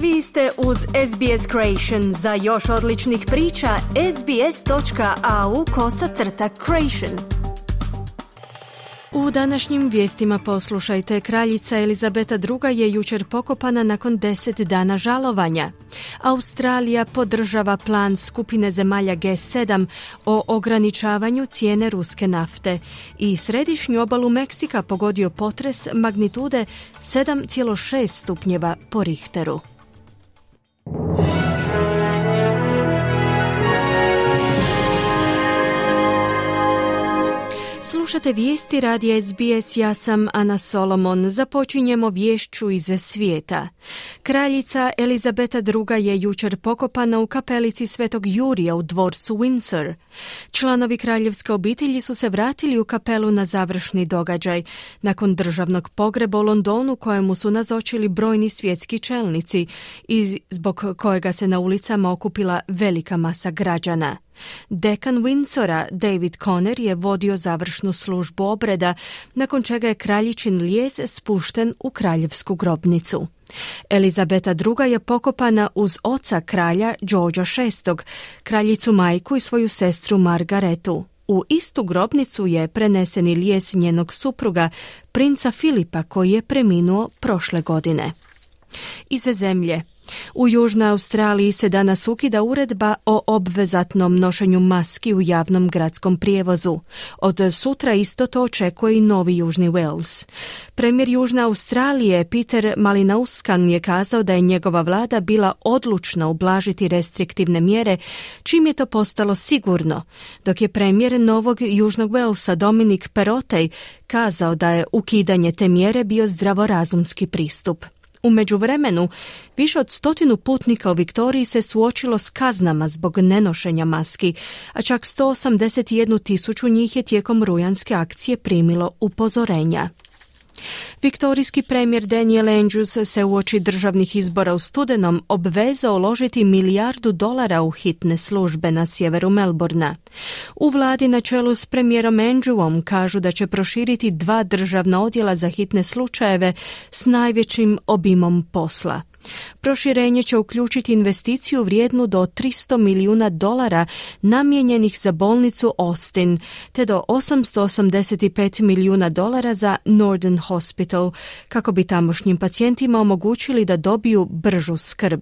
Vi ste uz SBS Creation. Za još odličnih priča, sbs.au/creation. U današnjim vijestima poslušajte, kraljica Elizabeta II je jučer pokopana nakon 10 dana žalovanja. Australija podržava plan skupine zemalja G7 o ograničavanju cijene ruske nafte i središnju obalu Meksika pogodio potres magnitude 7,6 stupnjeva po Richteru. Slušate vijesti radija SBS, ja sam Ana Solomon. Započinjemo vješću iz svijeta. Kraljica Elizabeta II je jučer pokopana u kapelici Svetog Jurija u dvorcu Windsor. Članovi kraljevske obitelji su se vratili u kapelu na završni događaj, nakon državnog pogreba u Londonu kojemu su nazočili brojni svjetski čelnici i zbog kojega se na ulicama okupila velika masa građana. Dekan Windsora, David Conner, je vodio završnu službu obreda, nakon čega je kraljičin lijes spušten u kraljevsku grobnicu. Elizabeta II je pokopana uz oca kralja Georgea VI, kraljicu majku i svoju sestru Margaretu. U istu grobnicu je preneseni lijes njenog supruga, princa Filipa, koji je preminuo prošle godine. Iz zemlje. U Južnoj Australiji se danas ukida uredba o obvezatnom nošenju maski u javnom gradskom prijevozu. Od sutra isto to očekuje i Novi Južni Wales. Premijer Južne Australije Peter Malinauskan je kazao da je njegova vlada bila odlučna ublažiti restriktivne mjere, čim je to postalo sigurno, dok je premijer Novog Južnog Walesa Dominic Perrottet kazao da je ukidanje te mjere bio zdravorazumski pristup. U međuvremenu, više od 100 putnika u Viktoriji se suočilo s kaznama zbog nenošenja maski, a čak 181.000 njih je tijekom rujanske akcije primilo upozorenja. Viktorijski premijer Daniel Andrews se uoči državnih izbora u studenom obvezao uložiti $1 milijardu u hitne službe na sjeveru Melbourna. U vladi na čelu s premijerom Andrewom kažu da će proširiti 2 državna odjela za hitne slučajeve s najvećim obimom posla. Proširenje će uključiti investiciju vrijednu do $300 milijuna namijenjenih za bolnicu Austin, te do $885 milijuna za Northern Hospital, kako bi tamošnjim pacijentima omogućili da dobiju bržu skrb.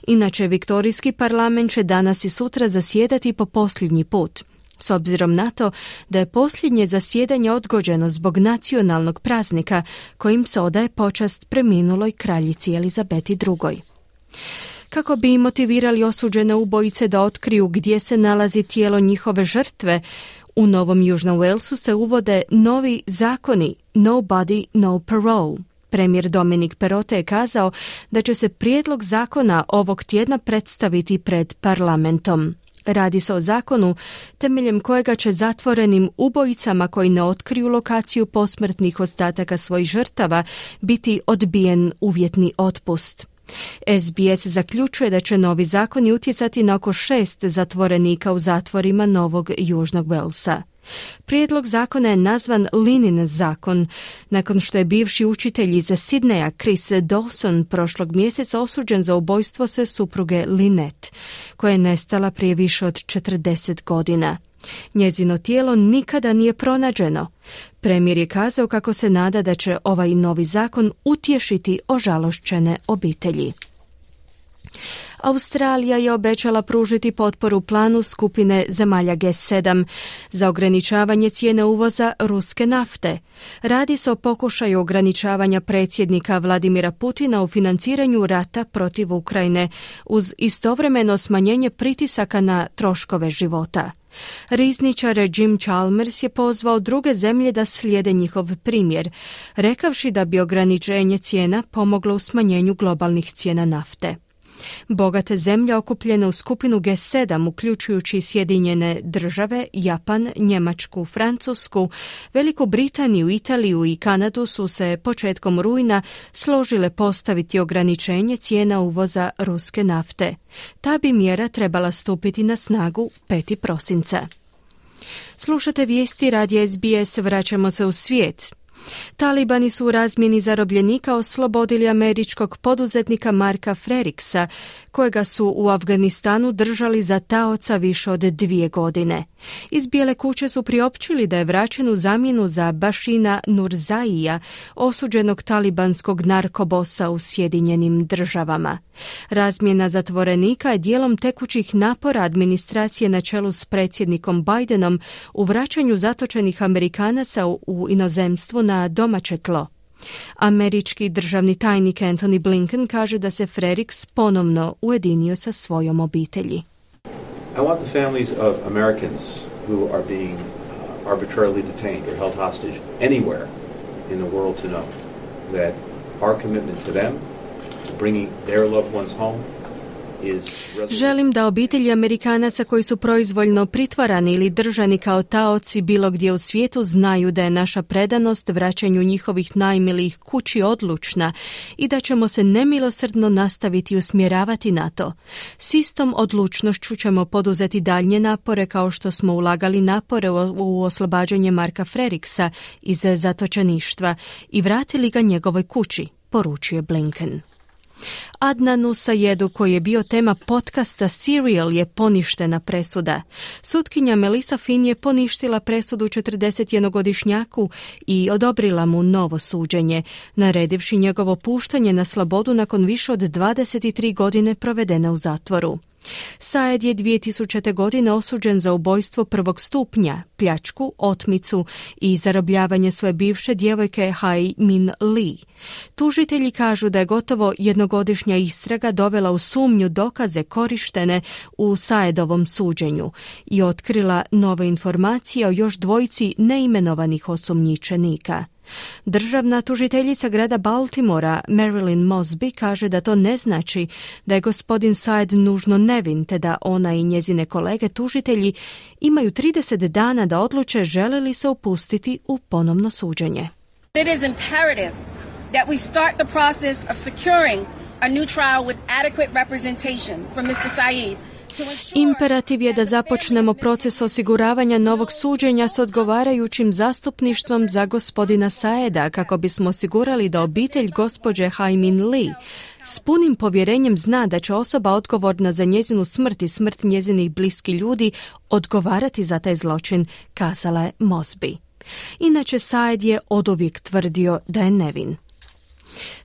Inače, Viktorijski parlament će danas i sutra zasjedati po posljednji put. S obzirom na to da je posljednje zasjedanje odgođeno zbog nacionalnog praznika kojim se odaje počast preminuloj kraljici Elizabeti II. Kako bi motivirali osuđene ubojice da otkriju gdje se nalazi tijelo njihove žrtve, u Novom Južnom Walesu se uvode novi zakoni No Body, No Parole. Premijer Dominic Perrottet je kazao da će se prijedlog zakona ovog tjedna predstaviti pred parlamentom. Radi se o zakonu temeljem kojega će zatvorenim ubojicama koji ne otkriju lokaciju posmrtnih ostataka svojih žrtava biti odbijen uvjetni otpust. SBS zaključuje da će novi zakoni utjecati na oko 6 zatvorenika u zatvorima Novog Južnog Walesa. Prijedlog zakona je nazvan Linin zakon, nakon što je bivši učitelj iz Sidneja Chris Dawson prošlog mjeseca osuđen za ubojstvo sve supruge Lynette, koja je nestala prije više od 40 godina. Njezino tijelo nikada nije pronađeno. Premijer je kazao kako se nada da će ovaj novi zakon utješiti ožalošćene obitelji. Australija je obećala pružiti potporu planu skupine zemalja G7 za ograničavanje cijene uvoza ruske nafte. Radi se o pokušaju ograničavanja predsjednika Vladimira Putina u financiranju rata protiv Ukrajine uz istovremeno smanjenje pritisaka na troškove života. Rizničar Jim Chalmers je pozvao druge zemlje da slijede njihov primjer, rekavši da bi ograničenje cijena pomoglo u smanjenju globalnih cijena nafte. Bogate zemlje okupljene u skupinu G7, uključujući Sjedinjene države, Japan, Njemačku, Francusku, Veliku Britaniju, Italiju i Kanadu su se početkom rujna složile postaviti ograničenje cijena uvoza ruske nafte. Ta bi mjera trebala stupiti na snagu 5. prosinca. Slušate vijesti radija SBS, vraćamo se u svijet. Talibani su u razmjeni zarobljenika oslobodili američkog poduzetnika Marka Freriksa, kojega su u Afganistanu držali za taoca više od 2 godine. Iz Bijele kuće su priopćili da je vraćen u zamjenu za Bašina Nurzaija, osuđenog talibanskog narkobosa u Sjedinjenim Državama. Razmjena zatvorenika je dijelom tekućih napora administracije na čelu s predsjednikom Bidenom u vraćanju zatočenih Amerikanaca u inozemstvu na domaće tlo. Američki državni tajnik Antony Blinken kaže da se Freriks ponovno ujedinio sa svojom obitelji. I want the families of Americans who are being arbitrarily detained or held hostage anywhere in the world to know that our commitment to them, to bringing their loved ones home, Želim da obitelji Amerikanaca koji su proizvoljno pritvarani ili držani kao taoci bilo gdje u svijetu znaju da je naša predanost vraćanju njihovih najmilijih kući odlučna i da ćemo se nemilosrdno nastaviti usmjeravati na to. S istom odlučnošću ćemo poduzeti daljnje napore kao što smo ulagali napore u oslobađanje Marka Freriksa iz zatočeništva i vratili ga njegovoj kući, poručuje Blinken. Adnanu Sajedu, koji je bio tema podcasta Serial, je poništena presuda. Sutkinja Melissa Finn je poništila presudu 41-godišnjaku i odobrila mu novo suđenje, naredivši njegovo puštanje na slobodu nakon više od 23 godine provedene u zatvoru. Sajed je 2000. godine osuđen za ubojstvo 1. stupnja, pljačku, otmicu i zarobljavanje svoje bivše djevojke Hai Min Lee. Tužitelji kažu da je gotovo jednogodišnja istraga dovela u sumnju dokaze korištene u Sajedovom suđenju i otkrila nove informacije o još 2 neimenovanih osumnjičenika. Državna tužiteljica grada Baltimora, Marilyn Mosby, kaže da to ne znači da je gospodin Sajed nužno nevin, te da ona i njezine kolege tužitelji imaju 30 dana da odluče žele li se upustiti u ponovno suđenje. It is imperative that we start the process of securing a new trial with adequate representation for Mr. Said. Imperativ je da započnemo proces osiguravanja novog suđenja s odgovarajućim zastupništvom za gospodina Saeda kako bismo osigurali da obitelj gospođe Hai Min Lee s punim povjerenjem zna da će osoba odgovorna za njezinu smrt i smrt njezinih bliskih ljudi odgovarati za taj zločin, kazala je Mosby. Inače, Saed je oduvijek tvrdio da je nevin.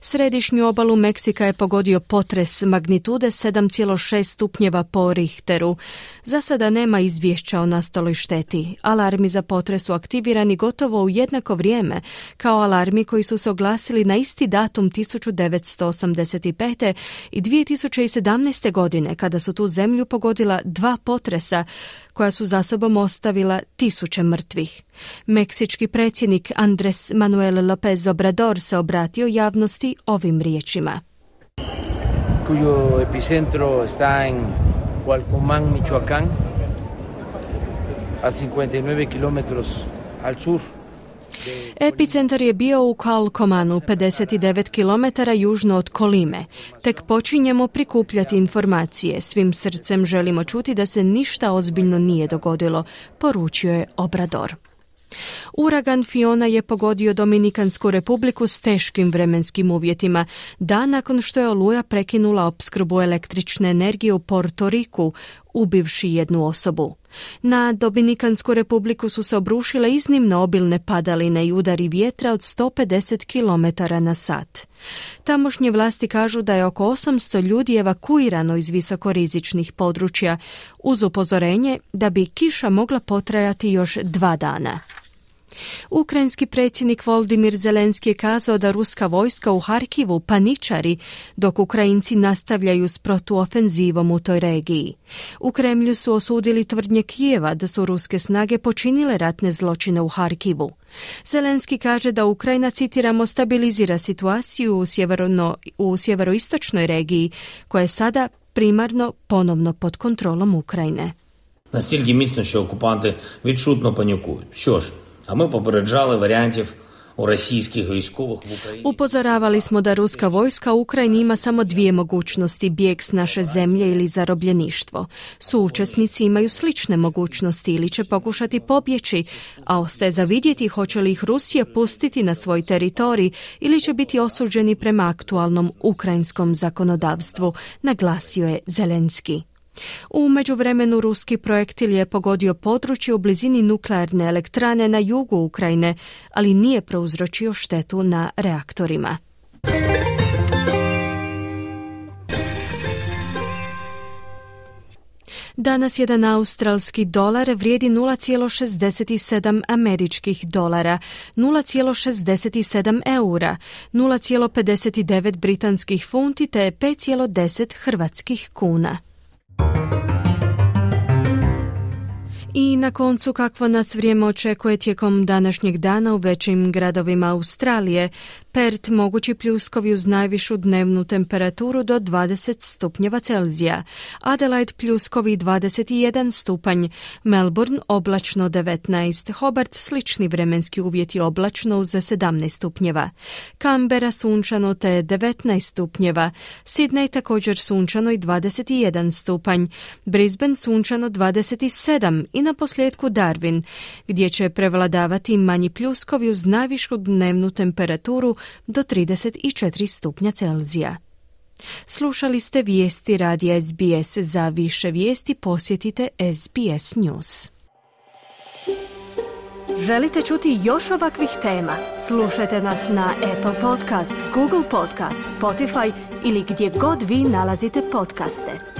Središnju obalu Meksika je pogodio potres magnitude 7,6 stupnjeva po Richteru. Za sada nema izvješća o nastaloj šteti. Alarmi za potres su aktivirani gotovo u jednako vrijeme kao alarmi koji su se oglasili na isti datum 1985. i 2017. godine kada su tu zemlju pogodila 2 potresa koja su za sobom ostavila 1000 mrtvih. Meksički predsjednik Andrés Manuel López Obrador se obratio javnosti ovim riječima. Cuyo epicentro está en Cualcomán, Michoacán, a 59 kilometros al sur. Epicentar je bio u Cualcomanu, 59 km južno od Kolime. Tek počinjemo prikupljati informacije. Svim srcem želimo čuti da se ništa ozbiljno nije dogodilo, poručio je Obrador. Uragan Fiona je pogodio Dominikansku republiku s teškim vremenskim uvjetima, dan nakon što je oluja prekinula opskrbu električne energije u Porto Riku, ubivši 1 osobu. Na Dominikansku republiku su se obrušile iznimno obilne padaline i udari vjetra od 150 km na sat. Tamošnje vlasti kažu da je oko 800 ljudi evakuirano iz visokorizičnih područja, uz upozorenje da bi kiša mogla potrajati još 2 dana. Ukrajinski predsjednik Volodymyr Zelenski je kazao da ruska vojska u Harkivu paničari dok Ukrajinci nastavljaju s protuofenzivom u toj regiji. U Kremlju su osudili tvrdnje Kijeva da su ruske snage počinile ratne zločine u Harkivu. Zelenski kaže da Ukrajina, citiramo, stabilizira situaciju u sjeveroistočnoj regiji koja je sada primarno ponovno pod kontrolom Ukrajine. Настільки міцно, що окупанти відчутно панікують. Що ж, а ми попереджали варіантів Upozoravali smo da ruska vojska u Ukrajini ima samo dvije mogućnosti, bijeg s naše zemlje ili zarobljeništvo. Suučesnici imaju slične mogućnosti ili će pokušati pobjeći, a ostaje za vidjeti hoće li ih Rusija pustiti na svoj teritorij ili će biti osuđeni prema aktualnom ukrajinskom zakonodavstvu, naglasio je Zelenski. U međuvremenu ruski projektil je pogodio područje u blizini nuklearne elektrane na jugu Ukrajine, ali nije prouzročio štetu na reaktorima. Danas jedan australski dolar vrijedi 0,67 američkih dolara, 0,67 eura, 0,59 britanskih funti te 5,10 hrvatskih kuna. I na koncu kakvo nas vrijeme očekuje tijekom današnjeg dana u većim gradovima Australije. Perth mogući pljuskovi uz najvišu dnevnu temperaturu do 20 stupnjeva Celzija. Adelaide pljuskovi 21 stupanj. Melbourne oblačno 19. Hobart slični vremenski uvjeti oblačno uz 17 stupnjeva. Canberra sunčano te 19 stupnjeva. Sydney također sunčano i 21 stupanj. Brisbane sunčano 27 i na posljedku Darwin, gdje će prevladavati manji pljuskovi uz najvišu dnevnu temperaturu do 34 stupnja Celzija. Slušali ste vijesti radija SBS. Za više vijesti posjetite SBS News. Želite čuti još ovakvih tema? Slušajte nas na Apple Podcast, Google Podcast, Spotify ili gdje god vi nalazite podcaste.